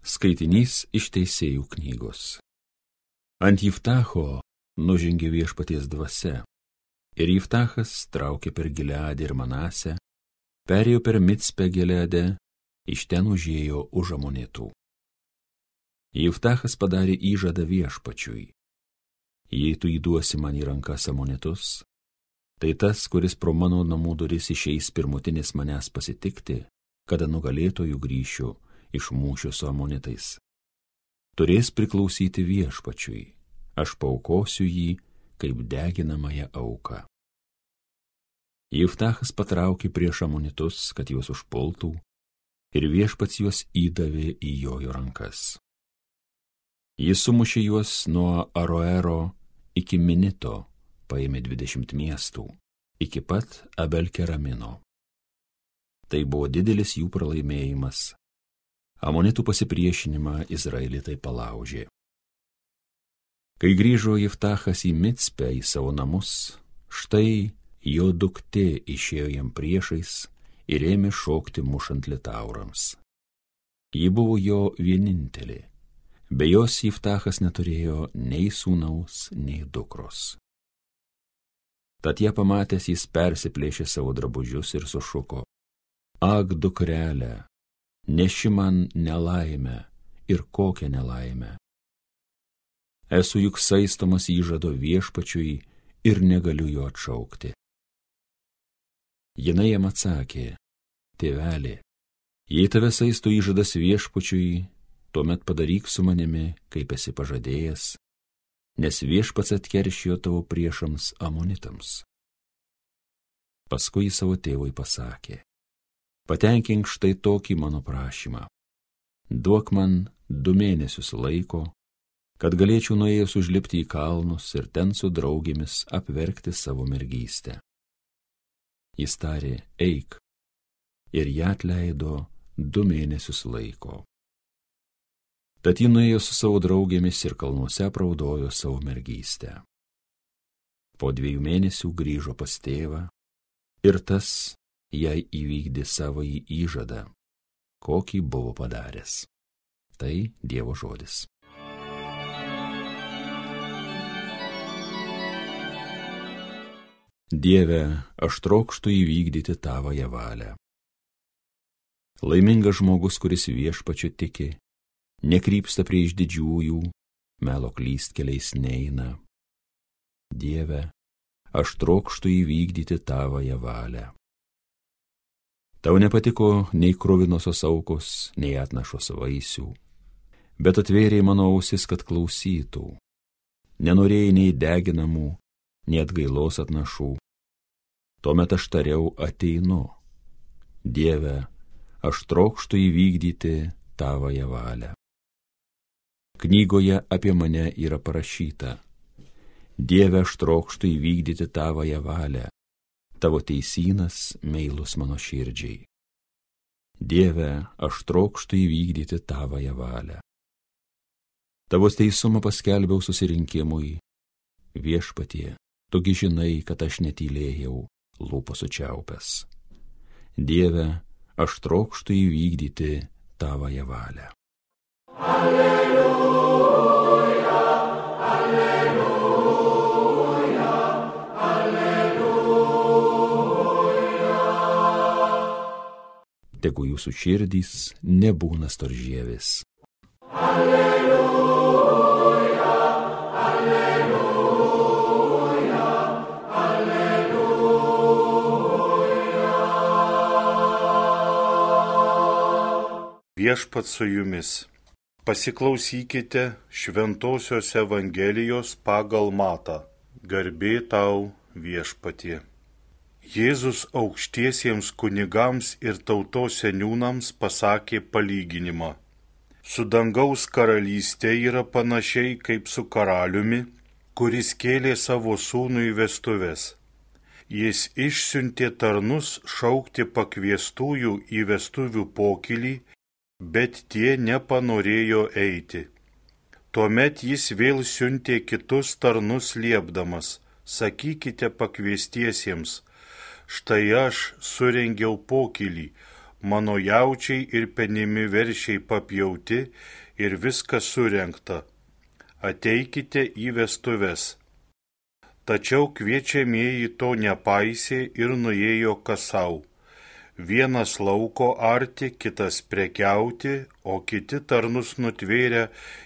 Skaitinys iš Teisėjų knygos. Ant Jiftacho nužengė Viešpaties dvasia, ir Jiftachas traukė per Gileadą ir Manasę, perėjo per Micpę Gileade, iš ten užėjo už Amonitų. Jiftachas padarė įžadą Viešpačiui: jei tu įduosi man į rankas Amonitus, tai tas, kuris pro mano namų duris išeis pirmutinis manęs pasitikti, kada nugalėtojų grįšiu iš mūšio su Amonitais, turės priklausyti Viešpačiui, aš paaukosiu jį kaip deginamąją auką. Jiftachas patraukė prieš Amonitus, kad juos užpultų, ir Viešpats juos įdavė į jo rankas. Jis sumušė juos nuo Aroero iki Minito, paėmė 20 miestų, iki pat Abel-Keramino. Tai buvo didelis jų pralaimėjimas. Amonitų pasipriešinimą Izraelitai palaužė. Kai grįžo Jiftachas į Micpę į savo namus, štai jo duktė išėjo jam priešais ir ėmė šokti mušant litaurams. Ji buvo jo vienintelė. Be jos Jiftachas neturėjo nei sūnaus, nei dukros. Tad ją pamatęs jis persiplėšė savo drabužius ir sušuko: Ak, dukrelė, neši man nelaimę, ir kokią nelaimę. Esu juk saistomas įžado Viešpačiui ir negaliu jo atšaukti. Jinai jam atsakė: Tėvelė, jei tave saisto įžadas Viešpačiui, tuomet padaryk su manimi, kaip esi pažadėjęs, nes Viešpats atkeršijo tavo priešams Amonitams. Paskui savo tėvui pasakė: Patenkink štai tokį mano prašymą. Duok man 2 mėnesius laiko, kad galėčiau nuėjęs užlipti į kalnus ir ten su draugėmis apverkti savo mergystę. Jis tarė: Eik, ir ją atleido 2 mėnesius laiko. Tad ji nuėjo su savo draugėmis ir kalnuose apraudojo savo mergystę. Po 2 mėnesių grįžo pas tėvą, ir tas jai įvykdė savąjį įžadą, kokį buvo padaręs. Tai Dievo žodis. Dieve, aš trokštu įvykdyti tavąją valią. Laimingas žmogus, kuris Viešpačiu tiki, nekrypsta prieš didžiųjų, melo klystkeliais neina. Dieve, aš trokštu įvykdyti tavąją valią. Tau nepatiko nei kruvinosios aukos, nei atnašos vaisių, bet atvėrei mano ausis, kad klausytų. Nenorėjai nei deginamų, nei atgailos atnašų. Tuomet aš tariau: ateinu. Dieve, aš trokštu įvykdyti tavąją valią. Knygoje apie mane yra parašyta: Dieve, aš trokštu įvykdyti tavąją valią. Tavo teisynas meilus mano širdžiai. Dieve, aš trokštu įvykdyti tavąją valią. Tavo teisumą paskelbiau susirinkimui. Viešpatie, tugi žinai, kad aš netylėjau, lūpos sučiaupęs. Dieve, aš trokštu įvykdyti tavąją valią. Alleluja, alleluja. Tegu jūsų širdys nebūna storžievis. Alleluja, alleluja, alleluja. Viešpats su jumis. Pasiklausykite Šventosios Evangelijos pagal Matą. Garbė tau, Viešpatie. Jėzus aukštiesiems kunigams ir tautos seniūnams pasakė palyginimą. Su dangaus karalystė yra panašiai kaip su karaliumi, kuris kėlė savo sūnų į vestuves. Jis išsiuntė tarnus šaukti pakviestųjų į vestuvių pokylį, bet tie nepanorėjo eiti. Tuomet jis vėl siuntė kitus tarnus liepdamas: sakykite pakviestiesiems: štai aš surengiau pokylį, mano jaučiai ir penimi veršiai papjauti ir viskas surengta. Ateikite į vestuves. Tačiau kviečiamieji to nepaisė ir nuėjo kasau. Vienas lauko arti, kitas prekiauti, o kiti tarnus nutvėrę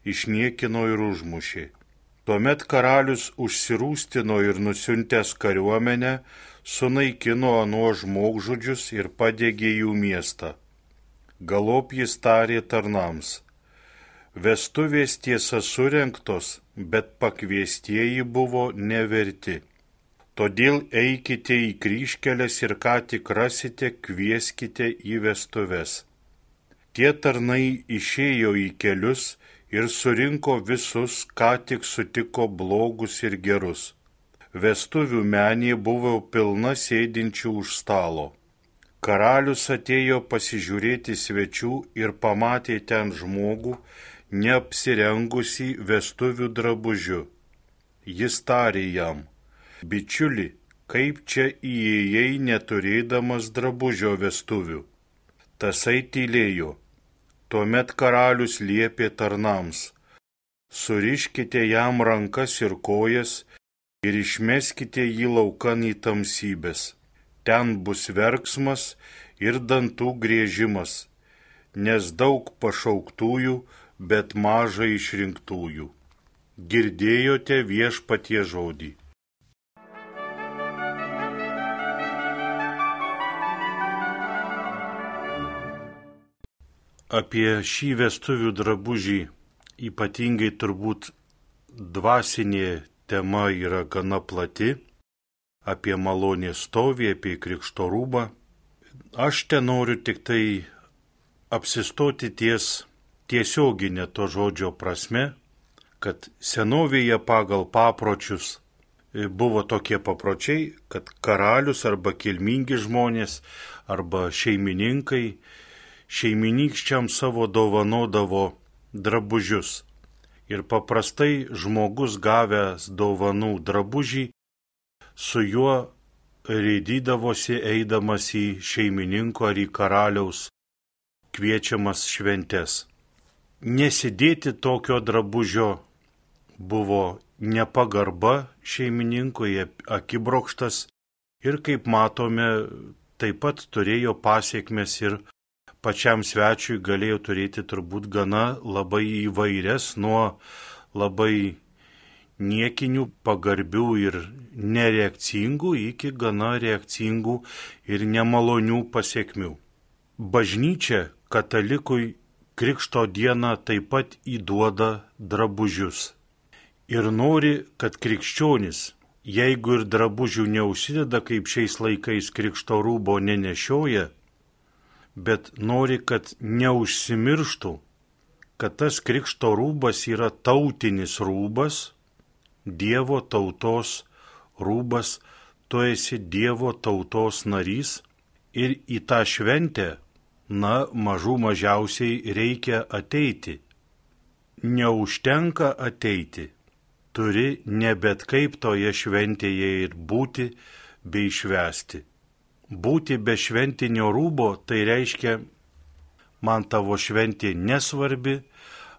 išniekino ir užmušė. Tuomet karalius užsirūstino ir nusiuntęs kariuomenę, sunaikino anuo žmogžudžius ir padegė jų miestą. Galop jis tarė tarnams: vestuvės tiesa surengtos, bet pakviestieji buvo neverti. Todėl eikite į kryžkeles ir ką tik rasite, kvieskite į vestuves. Tie tarnai išėjo į kelius ir surinko visus, ką tik sutiko blogus ir gerus. Vestuvių menė buvo pilna sėdinčių už stalo. Karalius atėjo pasižiūrėti svečių ir pamatė ten žmogų, neapsirengusį vestuvių drabužiu. Jis tarė jam: bičiuli, kaip čia įėjai neturėdamas drabužio vestuvių? Tasai tylėjo. Tuomet karalius liepė tarnams: suriškite jam rankas ir kojas ir išmeskite jį laukan į tamsybes. Ten bus verksmas ir dantų griežimas, nes daug pašauktųjų, bet maža išrinktųjų. Girdėjote viešpaties žodį. Apie šį vestuvių drabužį ypatingai turbūt dvasinė tema yra gana plati, apie malonės stovį, apie krikšto rūbą. Aš ten noriu tik tai apsistoti ties tiesioginė to žodžio prasme, kad senovėje pagal papročius buvo tokie papročiai, kad karalius arba kilmingi žmonės arba šeimininkai šeiminykščiam savo dovanodavo drabužius. Ir paprastai žmogus gavęs dovanų drabužį, su juo rėdydavosi eidamas į šeimininko ar į karaliaus kviečiamas šventes. Nesidėti tokio drabužio buvo nepagarba šeimininkui, akibrokštas ir, kaip matome, taip pat turėjo pasiekmes ir pačiam svečiui galėjo turėti turbūt gana labai įvairias, nuo labai niekinių, pagarbių ir nereakcingų iki gana reakcingų ir nemalonių pasiekmių. Bažnyčia katalikui Krikšto dieną taip pat įduoda drabužius. Ir nori, kad krikščionis, jeigu ir drabužių neužsideda, kaip šiais laikais krikšto rūbo nenešioja, bet nori, kad neužsimirštų, kad tas krikšto rūbas yra tautinis rūbas, Dievo tautos rūbas, tu esi Dievo tautos narys ir į tą šventę, mažų mažiausiai reikia ateiti. Neužtenka ateiti, turi ne bet kaip toje šventėje ir būti bei švęsti. Būti be šventinio rūbo, tai reiškia, man tavo šventė nesvarbi,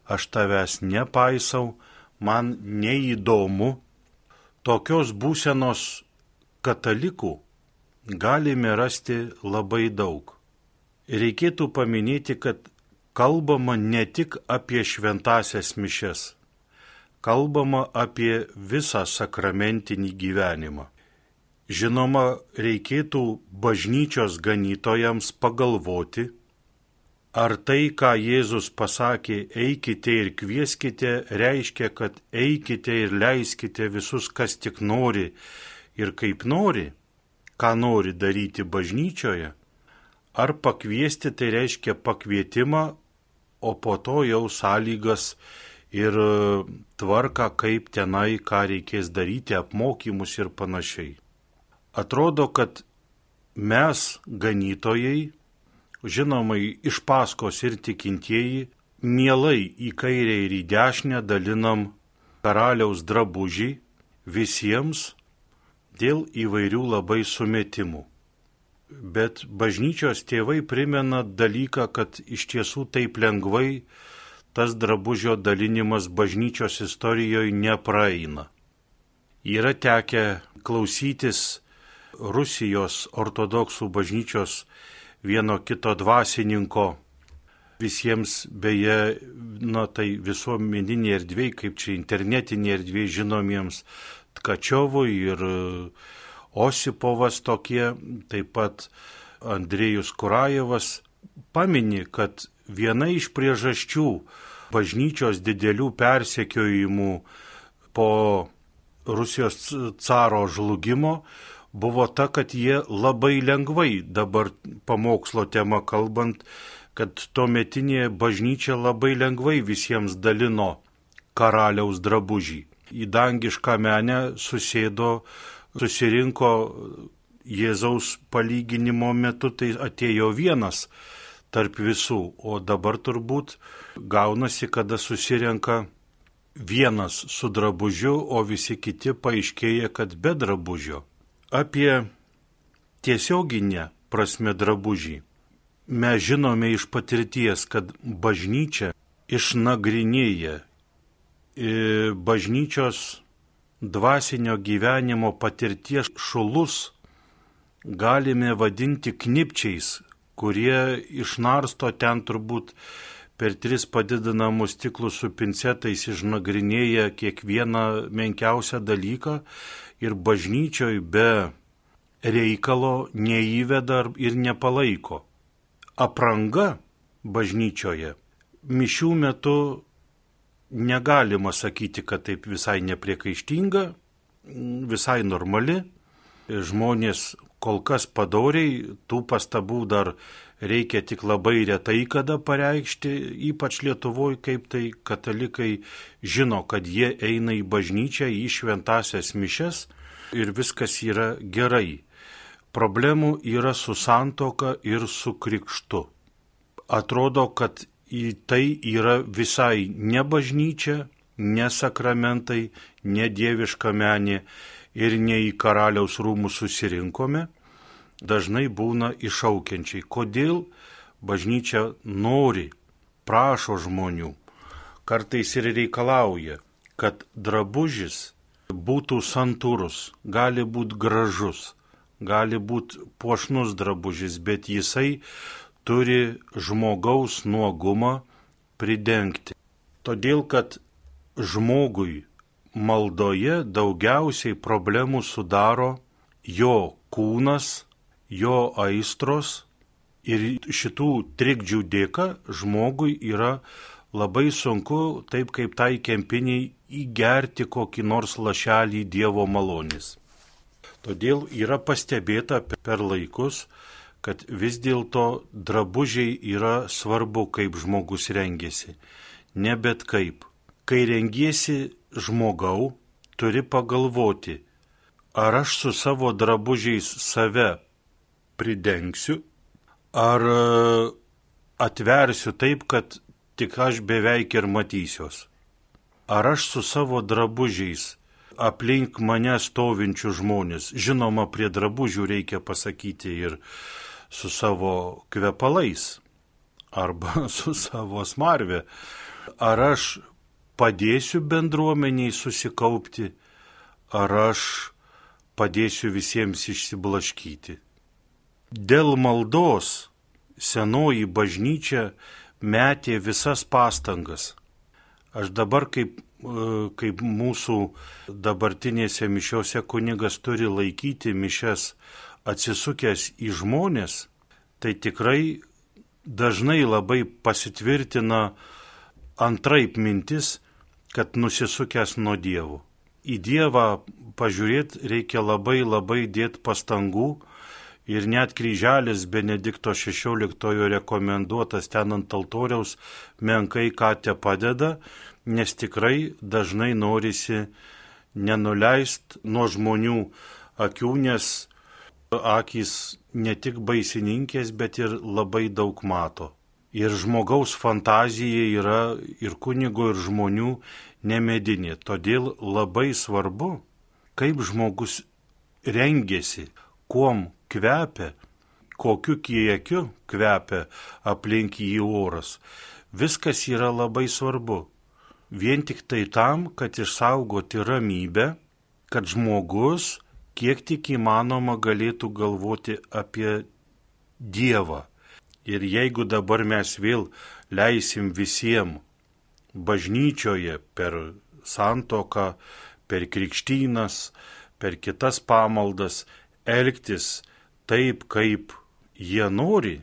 aš tavęs nepaisau, man neįdomu. Tokios būsenos katalikų galime rasti labai daug. Reikėtų paminėti, kad kalbama ne tik apie šventąsias mišes, kalbama apie visą sakramentinį gyvenimą. Žinoma, reikėtų bažnyčios ganytojams pagalvoti, ar tai, ką Jėzus pasakė, eikite ir kvieskite, reiškia, kad eikite ir leiskite visus, kas tik nori ir kaip nori, ką nori daryti bažnyčioje, ar pakviesti tai reiškia pakvietimą, o po to jau sąlygas ir tvarką, kaip tenai, ką reikės daryti, apmokymus ir panašiai. Atrodo, kad mes, ganytojai, žinomai iš paskos ir tikintieji, mielai į kairę ir į dešinę dalinam karaliaus drabužį visiems dėl įvairių labai sumetimų. Bet bažnyčios tėvai primena dalyką, kad iš tiesų taip lengvai tas drabužio dalinimas bažnyčios istorijoje nepraeina. Yra tekę klausytis Rusijos ortodoksų bažnyčios vieno kito dvasininko, visiems beje, tai visuomeninė erdvė, kaip čia internetinė erdvė žinomiems Tkačiovui ir Osipovas tokie, taip pat Andrėjus Kurajevas, pamini, kad viena iš priežasčių bažnyčios didelių persekiojimų po Rusijos caro žlugimo buvo ta, kad jie labai lengvai, dabar pamokslo tema kalbant, kad tuometinė bažnyčia labai lengvai visiems dalino karaliaus drabužį. Į dangišką menę susirinko Jėzaus palyginimo metu, tai atėjo vienas tarp visų, o dabar turbūt gaunasi, kada susirenka vienas su drabužiu, o visi kiti paaiškėja, kad be drabužio. Apie tiesioginę prasme drabužį mes žinome iš patirties, kad bažnyčia išnagrinėja bažnyčios dvasinio gyvenimo patirties šulus galime vadinti knipčiais, kurie išnarsto ten turbūt per 3 padidinamus stiklus su pincetais išnagrinėja kiekvieną menkiausią dalyką ir bažnyčioj be reikalo neįveda ir nepalaiko. Apranga bažnyčioje mišių metu negalima sakyti, kad taip visai nepriekaištinga, visai normali. Žmonės kol kas padoriai, tų pastabų dar reikia tik labai retai kada pareikšti, ypač Lietuvoje, kaip tai katalikai žino, kad jie eina į bažnyčią, į šventąsias mišias ir viskas yra gerai. Problemų yra su santuoka ir su krikštu. Atrodo, kad į tai yra visai ne bažnyčia, ne sakramentai, ne dieviška menė ir ne į karaliaus rūmus susirinkome, dažnai būna iššaukiančiai. Kodėl bažnyčia nori, prašo žmonių, kartais ir reikalauja, kad drabužis būtų santūrus, gali būti gražus, gali būti puošnus drabužis, bet jisai turi žmogaus nuogumą pridengti. Todėl, kad žmogui maldoje daugiausiai problemų sudaro jo kūnas, jo aistros ir šitų trikdžių dėka žmogui yra labai sunku, taip kaip tai kempiniai, įgerti kokį nors lašelį Dievo malonės. Todėl yra pastebėta per laikus, kad vis dėlto drabužiai yra svarbu, kaip žmogus rengiasi, ne bet kaip. Kai rengiesi žmogau, turi pagalvoti, ar aš su savo drabužiais save pridengsiu, ar atversiu taip, kad tik aš beveik ir matysiuos. Ar aš su savo drabužiais aplink mane stovinčių žmonės, žinoma, prie drabužių reikia pasakyti ir su savo kvepalais arba su savo smarve. Ar aš padėsiu bendruomeniai susikaupti, ar aš padėsiu visiems išsiblaškyti. Dėl maldos senoji bažnyčia metė visas pastangas. Aš dabar kaip mūsų dabartinėse mišiose kunigas turi laikyti mišias atsisukęs į žmonės, tai tikrai dažnai labai pasitvirtina antraip mintis, kad nusisukęs nuo Dievo. Į Dievą pažiūrėti reikia labai dėti pastangų ir net kryželis Benedikto XVI rekomenduotas ten ant altoriaus menkai ką te padeda, nes tikrai dažnai norisi nenuleist nuo žmonių akių, nes akys ne tik baisininkės, bet ir labai daug mato. Ir žmogaus fantazija yra ir kunigo, ir žmonių nemedinė. Todėl labai svarbu, kaip žmogus rengiasi, kuom kvepia, kokiu kiekiu kvepia aplink jį oras. Viskas yra labai svarbu. Vien tik tai tam, kad išsaugoti ramybę, kad žmogus kiek tik įmanoma galėtų galvoti apie Dievą. Ir jeigu dabar mes vėl leisim visiems bažnyčioje per santuoką, per krikštynas, per kitas pamaldas elgtis taip, kaip jie nori,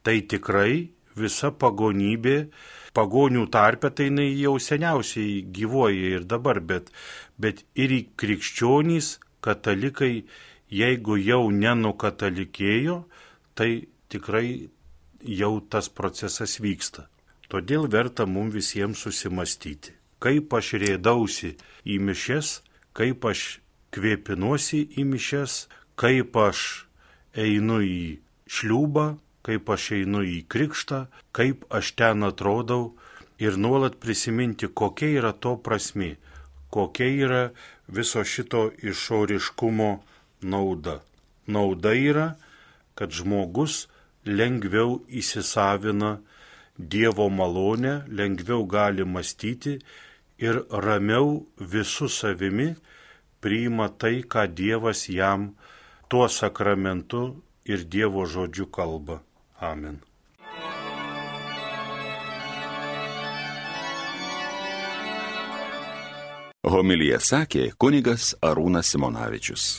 tai tikrai visa pagonybė, pagonių tarpe tai jau seniausiai gyvuoja ir dabar, bet ir į krikščionys, katalikai, jeigu jau nenukatalikėjo, tai tikrai jau tas procesas vyksta. Todėl verta mums visiems susimastyti, kaip aš rėdausi į mišias, kaip aš kvėpinuosi į mišias, kaip aš einu į šliūbą, kaip aš einu į krikštą, kaip aš ten atrodau ir nuolat prisiminti, kokia yra to prasmė, kokia yra viso šito išoriškumo nauda. Nauda yra, kad žmogus lengviau įsisavina Dievo malonę, lengviau gali mąstyti ir ramiau visų savimi priima tai, ką Dievas jam tuo sakramentu ir Dievo žodžiu kalba. Amen. Homiliją sakė kunigas Arūnas Simonavičius.